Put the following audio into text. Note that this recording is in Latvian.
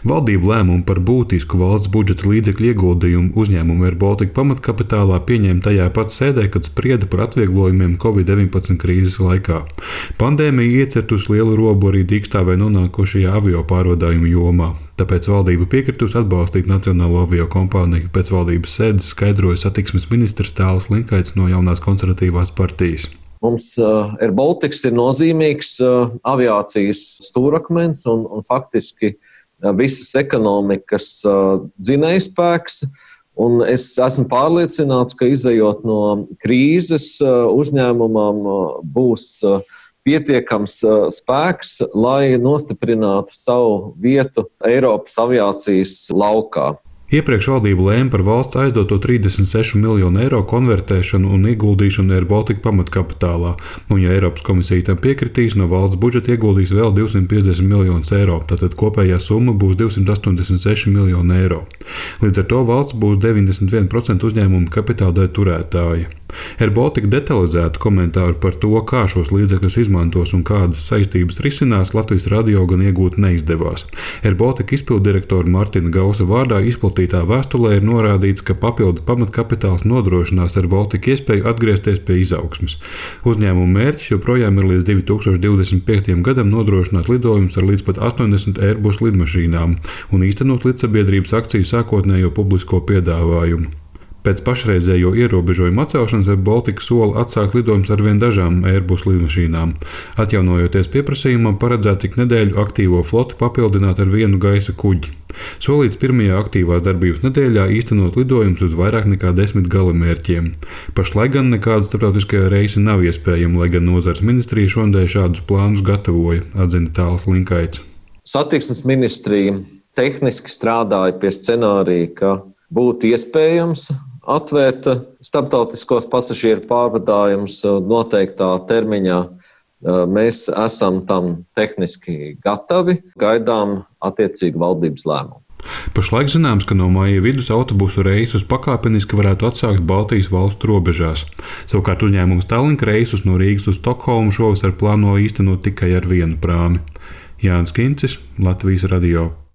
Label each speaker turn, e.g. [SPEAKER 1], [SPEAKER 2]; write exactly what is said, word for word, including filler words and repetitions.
[SPEAKER 1] Valdība lēmumu par būtisku valsts budžeta līdzekļu ieguldījumu uzņēmumu Air Baltica pamatkapitālā pieņēma tajā pat sēdē, kad sprieda par atvieglojumiem covid deviņpadsmit krīzes laikā. Pandēmija iecirtusi lielu robu arī dīkstāvē nonākošajā avio pārvadājumu jomā. Tāpēc valdība piekritusi atbalstīt Nacionālo avio kompāniju. Pēc valdības sēdes skaidroja satiksmes ministrs Tāls Linkaits no Jaunās konservatīvās partijas.
[SPEAKER 2] Mums uh, Air Baltica ir nozīmīgs uh, aviācijas stūrakmens un, un faktiski uh, visas ekonomikas uh, dzinējspēks. Un es esmu pārliecināts, ka izejot no krīzes uh, uzņēmumam uh, būs uh, pietiekams uh, spēks, lai nostiprinātu savu vietu Eiropas aviācijas laukā.
[SPEAKER 1] Iepriekš valdība lēma par valsts aizdoto trīsdesmit sešu miljonu eiro konvertēšanu un ieguldīšanu Air Baltica pamatkapitālā, un ja Eiropas komisija tam piekritīs, no valsts budžeta ieguldīs vēl divsimt piecdesmit miljonus eiro, tātad kopējā summa būs divsimt astoņdesmit seši miljoni eiro. Līdz ar to valsts būs deviņdesmit viens procents uzņēmumu kapitāla daļu turētāja. Air Baltica detalizētu komentāru par to, kā šos līdzekļus izmantos un kādas saistības risinās, Latvijas radio gan iegūt neizdevās. Air Baltica izpilddirektora Martina Gausa vārdā izplatītā vēstulē ir norādīts, ka papildu pamatkapitāls nodrošinās Air Baltica iespēju atgriezties pie izaugsmes. Uzņēmuma mērķis joprojām ir līdz divi tūkstoši divdesmit piektajam gadam nodrošināt lidojumus ar līdz pat astoņdesmit Airbus lidmašīnām un īstenot līdzsabiedrības akciju sākotnējo publisko piedāvājumu. Pēc pašreizējo ierobežojumu atcelšanas Air Baltica sola atsākt lidojumus ar vien dažām Airbus lidmašīnām. Atjaunojoties pieprasījumam, paredzēts ik nedēļu aktīvo floti papildināt ar vienu gaisa kuģi. Solīts pirmajā aktīvās darbības nedēļā īstenot lidojumus uz vairāk nekā desmit galamērķiem. Pašlaik gan nekāda starptautiskajā reisa nav iespējama, lai gan nozares ministrija šodien šādus plānus gatavoja, atzina Tāls Linkaits.
[SPEAKER 2] Satiksmes ministrija tehniski strādāja pie scenārija, ka būtu iespējams atvērt starptautiskos pasažieru pārvadājumus noteiktā termiņā. Mēs esam tam tehniski gatavi, gaidām attiecīgi valdības lēmumu.
[SPEAKER 1] Pašlaik zināms, ka no māja vidus autobusu reisus pakāpeniski varētu atsākt Baltijas valstu robežās. Savukārt uzņēmums Tallink reisus no Rīgas uz Stokholmu šovasar plāno īstenot tikai ar vienu prāmi. Jānis Kincis, Latvijas radio.